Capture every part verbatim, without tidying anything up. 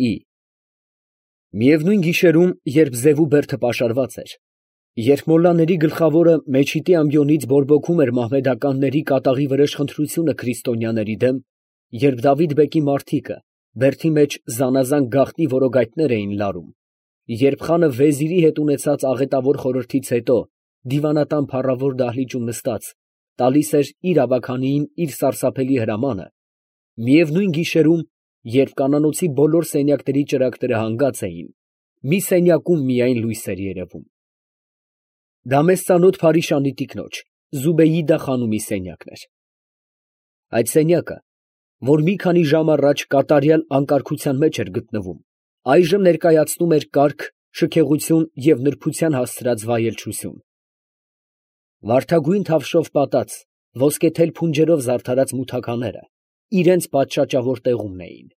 Ի Միևնույն գիշերում, երբ ձև ու բերդը պաշարված էր, երբ մոլլաների գլխավորը մեջիտի ամբիոնից բորբոքում էր մահմեդականների կատաղի վրեժխնդրությունը քրիստոնյաների դեմ, երբ Դավիթ֊բեկի մարդիկը բերդի մեջ զանազան գաղտնի որոգայթներ էին լարում, երբ խանը վեզիրի հետ ունեցած աղետավոր խորհրդից հետո դիվանատան փառավոր դահլիճում նստած, տալիս էր իր ավագանիին իր սարսափելի հրամանը, միևնույն գիշերում, երբ կանանոցի բոլոր սենյակների ճրագները հանգած էին, մի սենյակում միայն լույս էր երևում. դա մեզ ծանոթ Փարիշանի տիկնոջ Զուբեյիդա խանումի սենյակն էր. այդ սենյակը, որ մի քանի ժամ առաջ կատարյալ անկարգության մեջ էր գտնվում, այժմ ներկայացնում էր կարգ, շքեղություն և նրբության հասցրած վայելչություն. վարդագույն թավշով պատած, ոսկեթել փունջերով զարդարած մութականները իրենց պատշաճավոր տեղումն էին.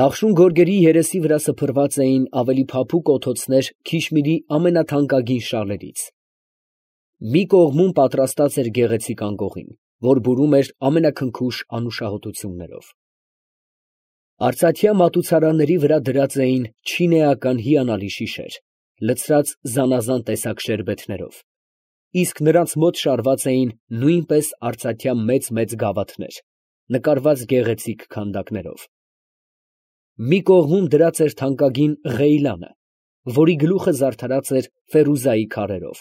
նախշուն գորգերի երեսի վրա սփռված էին ավելի փափուկ օթոցներ Քիշմիրի ամենաթանկագին շալերից. մի կողմում պատրաստած էր գեղեցիկ անկողին, որ բուրում էր ամենաքնքուշ անուշահոտություններով. արծաթյա մատուցարանների վրա դրած էին չինեական հիանալի շիշեր, լցրած զանազան տեսակ շերբեթներով, իսկ նրանց մոտ շարված էին նույնպես արծաթյա մեծ֊մեծ գավաթներ, նկարված գեղեցիկ քանդակներով. մի կողմում դրած էր թանկագին ղեյլանը, որի գլուխը զարդարած էր ֆերուզայի քարերով.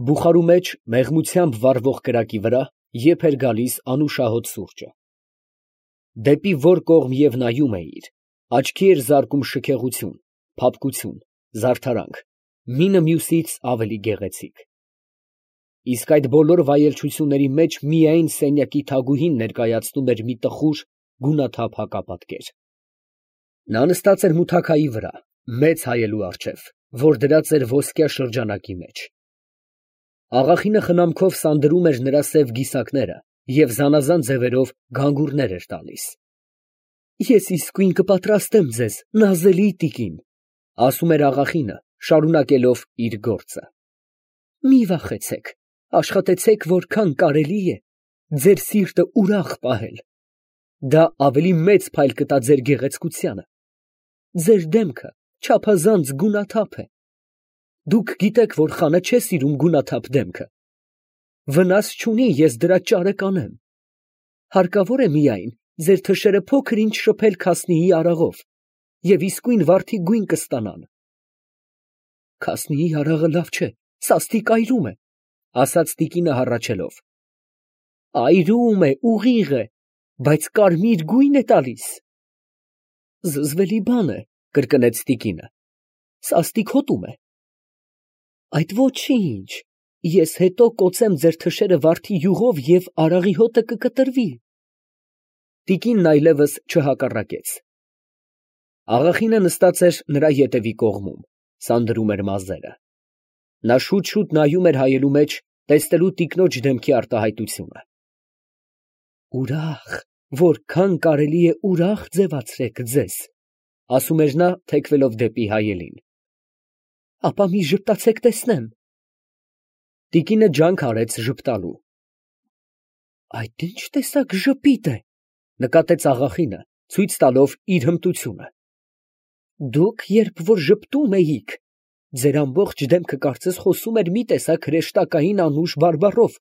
բուխարու մեջ մեղմությամբ վառվող կրակի վրա եփ էր գալիս անուշահոտ սուրճը. դեպի որ կողմ և նայում էիր, աչքի էր զարկում շքեղություն, փափկություն, զարդարանք, մինը մյուսից ավելի գեղեցիկ. իսկ այդ բոլոր վայելչությունների մեջ միայն սենյակի թագուհին ներկայացնում էր մի տխուր, գունաթափ հակապատկեր. նա նստած էր մութաքայի վրա, մեծ հայելու առջև, որ դրած էր ոսկյա շրջանակի մեջ. աղախինը խնամքով սանդրում էր նրա սև գիսակները և զանազան ձևերով գանգուրներ էր տալիս. ես իսկույն կպատրաստեմ ձեզ, նազելի տիկին, ասում էր աղախինը, շարունակելով իր գործը. մի վախեցեք, աշխատեցեք որքան կարելի է ձեր սիրտը ուրախ պահել, դա ավելի մեծ փայլ կտա ձեր գեղեցկությանը, ձեր դեմքը չափազանց գունաթափ է, դուք գիտեք, որ խանը չէ սիրում գունաթափ դեմքը, վնաս չունի, ես դրա ճարը կանեմ, հարկավոր է միայն ձեր թշերը փոքր ինչ շփել քասնիի արաղով և իսկույն վարդի գույն կստանան։ Քասնիի արաղը լավ չէ, սաստիկ այրում է, ասաց տիկինը հառաչելով. այրում է, ուղիղ է, բայց կարմիր գույն է տալիս։ Զզվելի բան է, կրկնեց տիկինը, սաստիկ հոտում է։ Այդ ոչինչ, ես հետո կոծեմ ձեր թշերը վարդի յուղով և արաղի հոտը կկտրվի։ Տիկինն այլևս չհակառակեց. աղախինը նստած էր նրա ետևի կողմում, սանդրում էր մազերը. նա շուտ֊շուտ նայում էր հայելու մեջ, տեսնելու տիկնոջ դեմքի արտահայտությունը. ուրախ, որքան կարելի է ուրախ ձևացրեք ձեզ, ասում էր նա, թեքվելով դեպի հայելին. ապա մի ժպտացեք տեսնեմ։ Տիկինը ջանք արեց ժպտալու. այդ ի՞նչ տեսակ ժպիտ է, նկատեց աղախինը, ցույց տալով իր հմտությունը. դուք երբ որ ժպտում էիք, ձեր ամբողջ դեմքը կարծես խոսում էր մի տեսակ հրեշտակային անուշ բարբառով,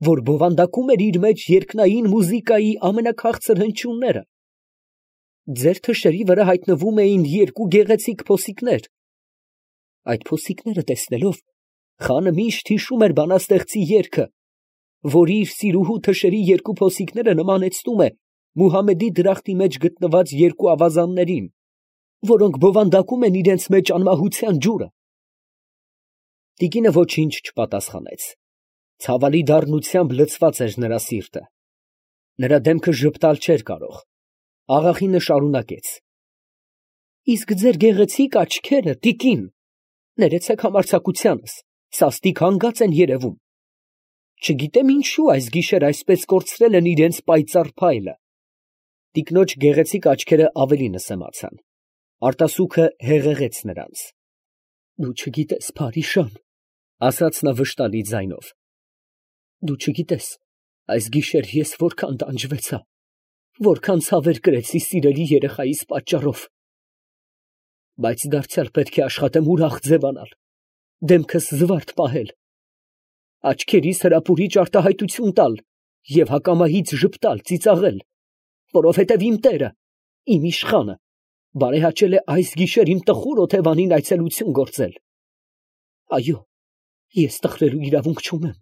որ բովանդակում էր իր մեջ երկնային մուզիկայի ամենաքաղցր հնչյունները. ձեր թշերի վրա հայտնվում էին երկու գեղեցիկ փոսիկներ. այդ փոսիկները տեսնելով, խանը միշտ հիշում էր բանաստեղծի երգը, որի իր սիրուհու թշերի երկու փոսիկները նմանեցնում է Մուհամմեդի դրախտի մեջ գտնված երկու ավազաններին, որոնք բովանդակում են իրենց մեջ անմահության ջուրը։ Տիկինը ոչինչ չպատասխանեց. ցավալի դառնությամբ լցված էր նրա սիրտը. նրա դեմքը ժպտալ չէր կարող։ Աղախինը շարունակեց. իսկ ձեր գեղեցիկ աչքերը, տիկին, ներեցեք համարձակությանս, սաստիկ հանգած են երևում։ Չգիտեմ ինչու այս գիշեր այսպես կորցրել են իրենց պայծառ փայլը։ Տիկնոջ գեղեցիկ աչքերը ավելի նսեմացան. արտասուքը հեղեղեց նրանց. դու չգիտես, Փարիշան, ասաց նա վշտալի ձայնով, դու չգիտես, այս գիշեր ես որքան տանջվեցա, որքան ցավեր կրեցի սիրելի երեխայիս պատճառով։ Բայց դարձյալ պետք է աշխատեմ ուրախ ձևանալ, դեմքս զվարթ պահել, աչքերիս հրապուրիչ արտահայտություն տալ և հակամահից ժպտալ, ծիծաղել, որովհետև իմ Տերը, իմ իշխանը, բարեհաճել է այս գիշեր իմ տխուր օթևանին այցելություն գործել։ Այո, ես տխրելու իրավունք չունեմ,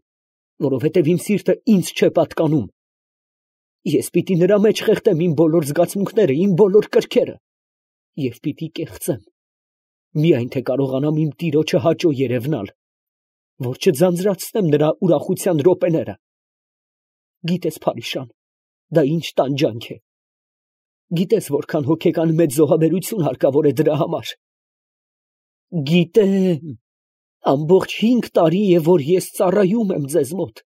որովհետև իմ սիրտը ինձ չէ պատկանում։ Ես պիտի նրա մեջ խեղդեմ իմ բոլոր զգացմունքները, իմ բոլոր կրքերը և պիտի կեղծեմ, միայն թե կարողանամ իմ տիրոջը հաճո երևնալ, որ չձանձրացնեմ նրա ուրախության րոպեները։ Գիտես, Փարիշան, դա ինչ տանջանք է։ Գիտես, որքան հոգեկան մեծ զոհաբերություն հարկավոր է դրա համար։ Գիտեմ, ամբողջ հինգ տարի է, որ ես ծառայում եմ ձեզ մոտ։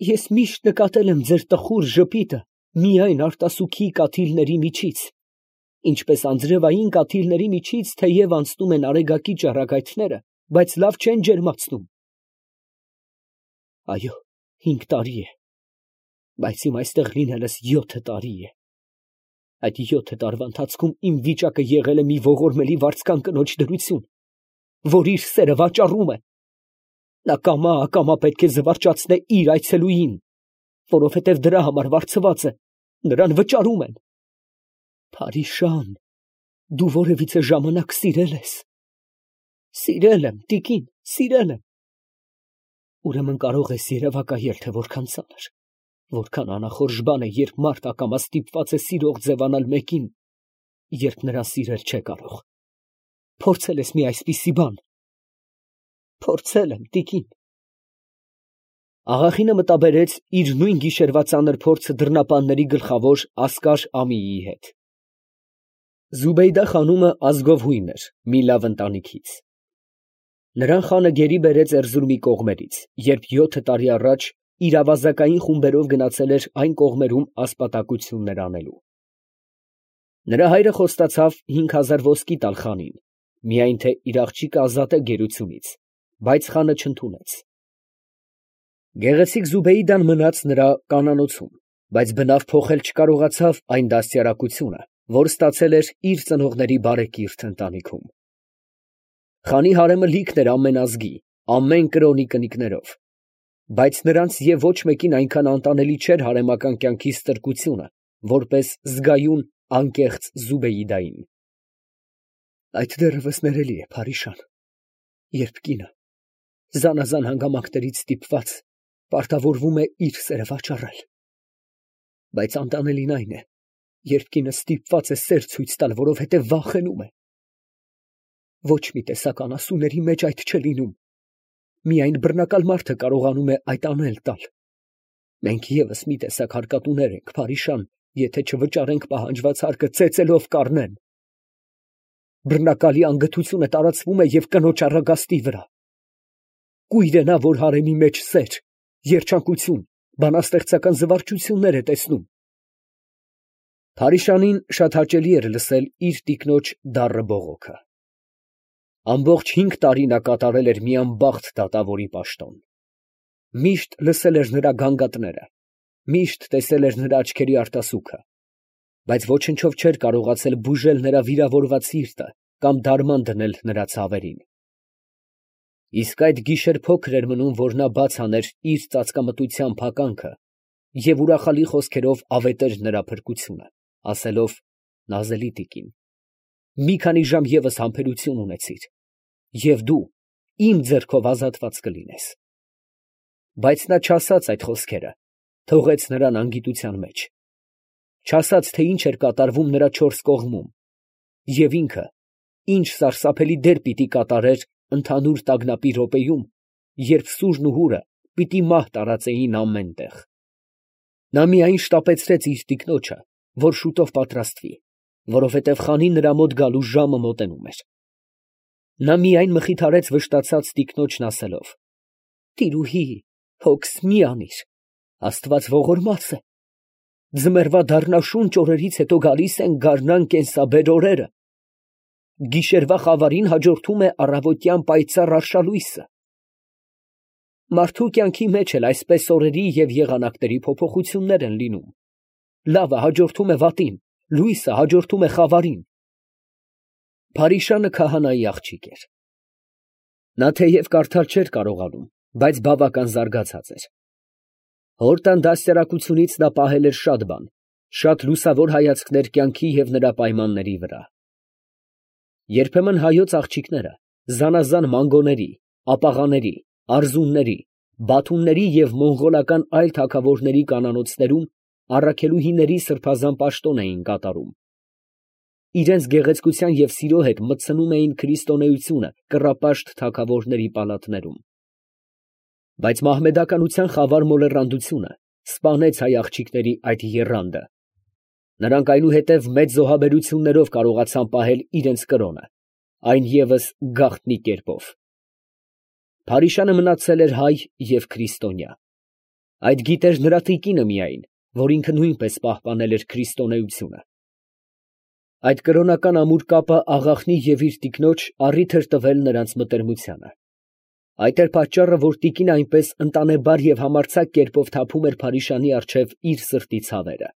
Ես միշտ նկատել եմ ձեր տխուր ժպիտը միայն արտասուքի կաթիլների միջից, ինչպես անձրևային կաթիլների միջից թեև անցնում են արեգակի ճառագայթները, բայց լավ չեն ջերմացնում։ Այո, հինգ տարի է, բայց իմ այստեղ լինելս յոթ տարի է։ Այդ յոթ տարվա ընթացքում իմ վիճակը եղել է մի ողորմելի վարձկան կնոջ դրություն, որ իր սերը վաճառում է։ Նա կամա-ակամա պետք է զվարճացնե իր այցելուին, որովհետև դրա համար վարձված է, նրան վճարում են։ Փարիշան, դու որևիցե ժամանակ սիրել ես։ Սիրել եմ, տիկին, սիրել եմ։ Ուրեմն կարող ես երևակայել, թե որքան ծանր, որքան անախորժ բան է, երբ մարդ ակամա ստիպված է սիրող ձևանալ մեկին, երբ նրան սիրել չէ կարող։ Փորձել ես մի այսպիսի բան։ Փորձել եմ, տիկին։ Աղախինը մտաբերեց իր նույն գիշերվա ծանր փորձը դռնապանների գլխավոր Ասկար Ամիի հետ։ Զուբեյդա խանումը ազգով հույն էր, մի լավ ընտանիքից։ Նրան խանը գերի բերեց Էրզրումի կողմերից, երբ յոթ տարի առաջ իր ավազակային խումբերով գնացել էր այն կողմերում ասպատակություններ անելու։ Նրա հայրը խոստացավ հինգ հազար ոսկի տալ խանին, միայն թե իր աղջիկը ազատե գերությունից, բայց խանը չընդունեց։ Գեղեցիկ Զուբեյդան մնաց նրա կանանոցում, բայց բնավ փոխել չկարողացավ այն դաստիարակությունը, որ ստացել էր իր ծնողների բարեկիրթ ընտանիքում։ Խանի հարեմը լիքն էր ամեն ազգի, ամեն կրոնի կնիկներով, բայց նրանց և ոչ մեկին այնքան անտանելի չէր հարեմական կյանքի ստրկությունը, որպես զգայուն անկեղծ Զուբեյդային։ Այդ դեռևս ներելի է, Փարիշան, երբ կինը զանազան հանգամանքներից ստիպված պարտավորվում է իր սերը վաճառել։ Բայց անտանելին այն է, երբ կինը ստիպված է սեր ցույց տալ, որովհետև վախենում է։ Ոչ մի տեսակ անասունների մեջ այդ չէ լինում, միայն բռնակալ մարդը կարողանում է այդ անել տալ։ Մենք ևս մի տեսակ հարկատուներ ենք, Փարիշան, եթե չվճարենք պահանջված հարկը ծեծելով կառնեն։ Բռնակալի անգթությունը տարածվում է և կնոջ առագաստի վրա։ Կույր է նա, որ հարեմի մեջ սեր, երջանկություն, բանաստեղծական զվարճություններ է տեսնում։ Փարիշանին շատ հաճելի էր լսել իր տիկնոջ դառը բողոքը։ Ամբողջ հինգ տարի նա կատարել էր մի անբախտ դատավորի պաշտոն։ Միշտ լսել էր նրա գանգատները, միշտ տեսել էր նրա աչքերի արտասուքը, բայց ոչնչով չէր կարողացել բուժել նրա վիրավորված սիրտը կամ դարման դնել նրա ցավերին։ Իսկ այդ գիշեր փոքր էր մնում, որ նա բաց աներ իր ծածկամտության փականքը և ուրախալի խոսքերով ավետեր նրա փրկությունը, ասելով. «Նազելի տիկին, մի քանի ժամ ևս համբերություն ունեցիր, և դու իմ ձեռքով ազատված կլինես»։ Բայց նա չասաց այդ խոսքերը, թողեց նրան անգիտության մեջ։ Չասաց, թե ինչ էր կատարվում նրա չորս կողմում, և ինքը ինչ սարսափելի դեր պիտի կատարեր ընդհանուր տագնապի րոպեում, երբ սուրն ու հուրը պիտի մահ տարածեին ամեն տեղ։ Նա միայն շտապեցրեց իր տիկնոջը, որ շուտով պատրաստվի, որովհետև խանին նրա մոտ գալու ժամը մոտենում էր։ Նա միայն մխիթարեց վշտացած տիկնոջն ասելով. «Տիրուհի, հոգս մի անիր, Աստված ողորմած է։ Ձմեռվա դառնաշունչ օրերից հետո գալիս են գարնան կենսաբեր օրերը։ Գիշերվա խավարին հաջորդում է առավոտյան պայծառ արշալույսը։ Մարդու կյանքի մեջ էլ այսպես օրերի և եղանակների փոփոխություններ են լինում, լավը հաջորդում է վատին, լույսը հաջորդում է խավարին։ Փարիշանը քահանայի աղջիկ էր։ Նա թեև կարդալ չէր կարողանում, բայց բավական զարգացած էր։ Հոր տան դաստիարակությունից նա պահել էր շատ բան, շատ լուսավոր հայացքներ կյանքի և նրա պայմանների վրա։ Երբեմն հայոց աղջիկները զանազան մանգոների, ապաղաների, արզունների, բաթումների և մոնղոլական այլ թագավորների կանանոցներում առաքելուհիների սրբազան պաշտոն էին կատարում։ Իրենց գեղեցկության և սիրո հետ մտցնում էին քրիստոնեությունը կռապաշտ թագավորների պալատներում։ Բայց մահմեդականության խավար մոլեռանդությունը սպանեց հայ աղջիկների այդ եռանդը։ Նրանք այնուհետև մեծ զոհաբերություններով կարողացան պահել իրենց կրոնը, այն ևս գաղտնի կերպով։ Փարիշանը մնացել էր հայ և քրիստոնյա։ Այդ գիտեր նրա տիկինը միայն, որ ինքը նույնպես պահպանել էր քրիստոնեությունը։ Այդ կրոնական ամուր կապը աղախնի և իր տիկնոջ առիթ էր տվել նրանց մտերմությանը։ Այդ էր պատճառը, որ տիկինը այնպես ընտանեբար և համարձակ կերպով թափում էր Փարիշանի առջև իր սրտի ցավերը։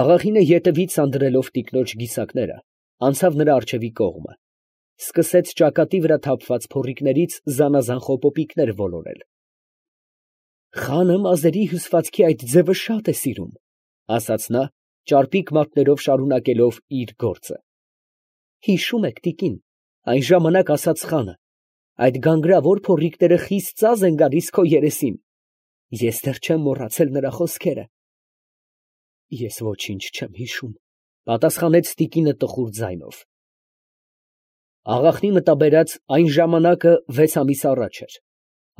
Աղախինը ետևից սանձրելով տիկնոջ գիսակները, անցավ նրա առջևի կողմը, սկսեց ճակատի վրա թափված փոռիկներից զանազան խոպոպիկներ ոլորել։ «Խանը մազերի հյուսվածքի այդ ձևը շատ է սիրում», ֊ ասաց նա, ճարպիկ մատներով շարունակելով իր գործը։ «Հիշո՞ւմ եք, տիկին, այն ժամանակ ասաց խանը. այդ գանգրավոր փոռիկները խիստ ծազ են գալիս քո երեսին։ Ես դեռ չեմ մոռացել նրա խոսքերը»։ «Ես ոչինչ չեմ հիշում», ֊ պատասխանեց տիկինը տխուր ձայնով։ Աղախնի մտաբերած այն ժամանակը վեց ամիս առաջ էր։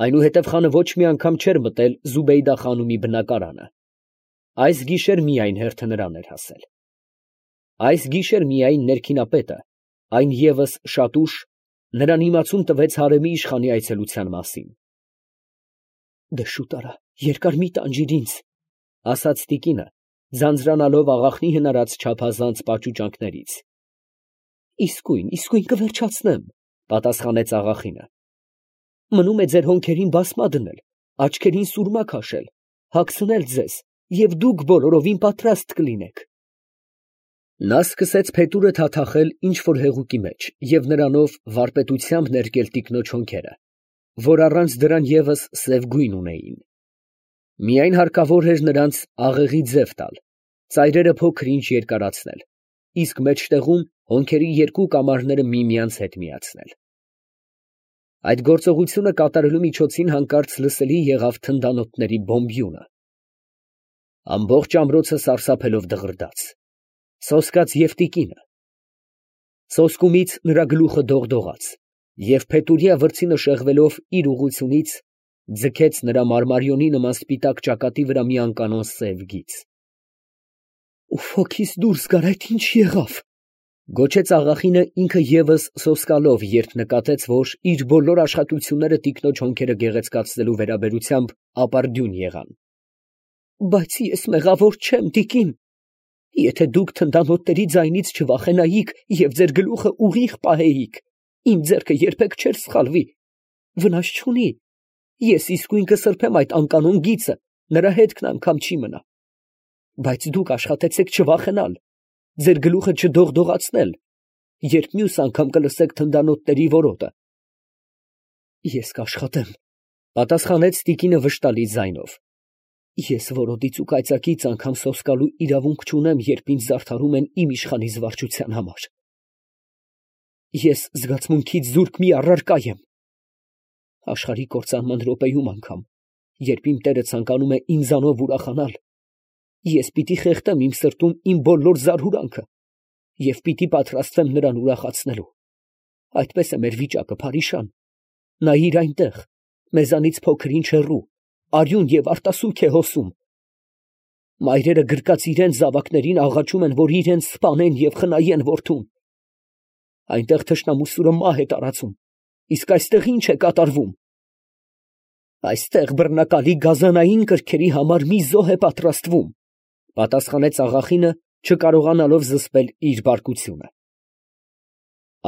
Այնուհետև խանը ոչ մի անգամ չէր մտել Զուբեյդա խանումի բնակարանը։ Այս գիշեր միայն հերթը նրան էր հասել։ Այս գիշեր միայն ներքինապետը, այն ևս շատ ուշ, նրան իմացում տվեց հարեմի իշխանի այցելության մասին։ «Դե շուտ արա, երկար մի տանջիր ինձ», ֊ ասաց տիկինը, ձանձրանալով աղախնի հնարած չափազանց պաճուճանքներից։ «Իսկույն, իսկույն կվերջացնեմ», ֊ պատասխանեց աղախինը։ «Մնում է ձեր հոնքերին բասմա դնել, աչքերին սուրմա քաշել, հագցնել ձեզ, և դուք բոլորովին պատրաստ կլինեք»։ Նա սկսեց փետուրը թաթախել ինչ֊որ հեղուկի մեջ և նրանով վարպետությամբ ներկել տիկնոջ հոնքերը, որ առանց դրան ևս սև գույն ունեին։ Միայն հարկավոր էր նրանց աղեղի ձև տալ, ծայրերը փոքր֊ինչ երկարացնել, իսկ մեջտեղում հոնքերի երկու կամարները միմյանց հետ միացնել։ Այդ գործողությունը կատարելու միջոցին հանկարծ լսելի եղավ թնդանոթների բոմբյունը։ Ամբողջ ամրոցը սարսափելով դղրդաց։ Սոսկաց և տիկինը։ Սոսկումից նրա գլուխը դողդողաց, և փետուրյա վրձինը շեղվելով իր ուղղությունից, ձգեց նրա մարմարիոնի նման սպիտակ ճակատի վրա մի անկանոն սև գիծ։ «Ուֆոքիս դուրս գար, այդ ի՞նչ եղավ», ֊ գոչեց աղախինը ինքը ևս սոսկալով, երբ նկատեց, որ իր բոլոր աշխատությունները տիկնոջ հոնքերը գեղեցկացնելու վերաբերությամբ ապարդյուն եղան։ «Բայց ես մեղավոր չեմ, տիկին։ Եթե դուք թնդանոթների ձայնից չվախենայիք և ձեր գլուխը ուղիղ պահեիք, իմ ձեռքը երբեք չէր սխալվի։ Վնաս չունի, ես իսկույն կսրբեմ այդ անկանոն գիծը, նրա հետքն անգամ չի մնա։ Բայց դուք աշխատեցեք չվախենալ, ձեր գլուխը չդողդողացնել, երբ մյուս անգամ կլսեք թնդանոթների որոտը»։ «Ես կաշխատեմ», ֊ պատասխանեց տիկինը վշտալի ձայնով։ «Ես որոտից ու կայծակից անգամ սոսկալու իրավունք չունեմ, երբ ինձ զարդարում են իմ իշխանի զվարճության համար։ Ես զգացմունքից զուրկ մի առարկա եմ։ Աշխարհի կործանման րոպեում անգամ, երբ իմ տերը ցանկանում է ինձանով ուրախանալ, ես պիտի խեղդեմ իմ սրտում իմ բոլոր զարհուրանքը և պիտի պատրաստվեմ նրան ուրախացնելու։ Այդպես է մեր վիճակը, Փարիշան։ Նայիր այնտեղ, մեզանից փոքր-ինչ հեռու, արյուն և արտասուք է հոսում։ Մայրերը գրկած իրենց զավակներին աղաչում են, որ իրենց սպանեն և խնայեն որդուն։ Այնտեղ թշնամու սուրը մահ է տարածում, իսկ այստեղ ի՞նչ է կատարվում։ Այստեղ բռնակալի գազանային կրքերի համար մի զոհ է պատրաստվում», ֊ պատասխանեց աղախինը, չկարողանալով զսպել իր բարկությունը։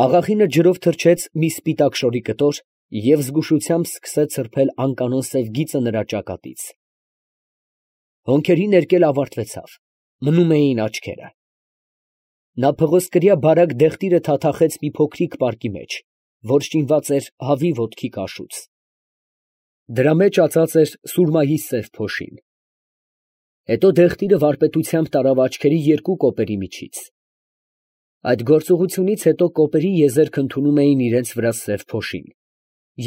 Աղախինը ջրով թրջեց մի սպիտակ շորի կտոր և զգուշությամբ սկսեց սրբել անկանոն սև գիծը նրա ճակատից։ Հոնքերի ներկել ավարտվեցավ, մնում էին աչքերը։ Նա փղոսկրյա բարակ դեղտիրը թաթախեց մի փոքրիկ պարկի մեջ, որ շինված էր հավի ոտքի կաշուց. դրա մեջ ածած էր սուրմայի սև փոշին։ Հետո դեղտիրը վարպետությամբ տարավ աչքերի երկու կոպերի միջից։ Այդ գործողությունից հետո կոպերի եզերք ընդունում էին իրենց վրա սև փոշին,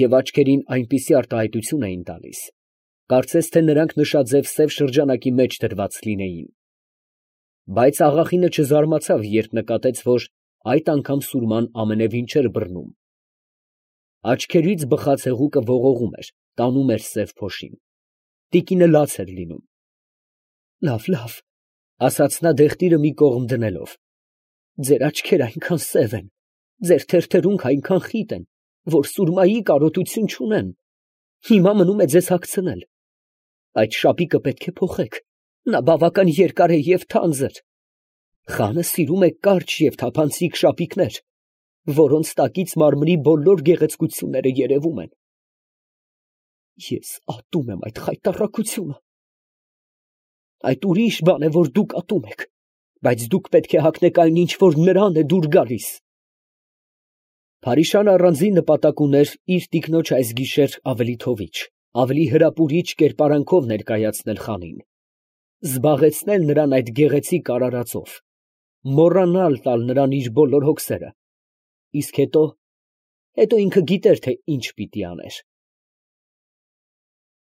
և աչքերին այնպիսի արտահայտություն էին տալիս, կարծես թե նրանք նշաձև սև շրջանակի մեջ դրված լինեին։ Բայց աղախինը չզարմացավ, երբ նկատեց, որ այդ անգամ սուրման ամենևին չէր բռնում։ Աչքերից բխած հեղուկը ողողում էր, տանում էր սև փոշին։ Տիկինը լաց էր լինում։ Լավ, լավ, ասաց նա դեղտիրը մի կողմ դնելով, ձեր աչքերը այնքան սև են, ձեր թերթերունքը այնքան խիտ են, որ սուրմայի կարոտություն չունեն, հիմա մնում է ձեզ հագցնել։ Այդ շապիկը պետք է փոխեք, նա բավական երկար է և թանձր։ Խանը սիրում է կարճ և թափանցիկ շապիկներ, որոնց տակից մարմնի բոլոր գեղեցկությունները երևում են։ Ես ատում եմ այդ խայտառակությունը։ Այդ ուրիշ բան է, որ դուք ատում եք, բայց դուք պետք է հագնեք այն, ինչ որ նրան է դուր գալիս։ Փարիշանը առանձին նպատակ ուներ իր տիկնոջ այս գիշեր ավելի թովիչ, ավելի հրապուրիչ կերպարանքով ներկայացնել խանին, զբաղեցնել նրան այդ գեղեցիկ արարածով, մոռանալ տալ նրան իր բոլոր հոգսերը, իսկ հետո, հետո ինքը գիտեր, թե ինչ պիտի աներ։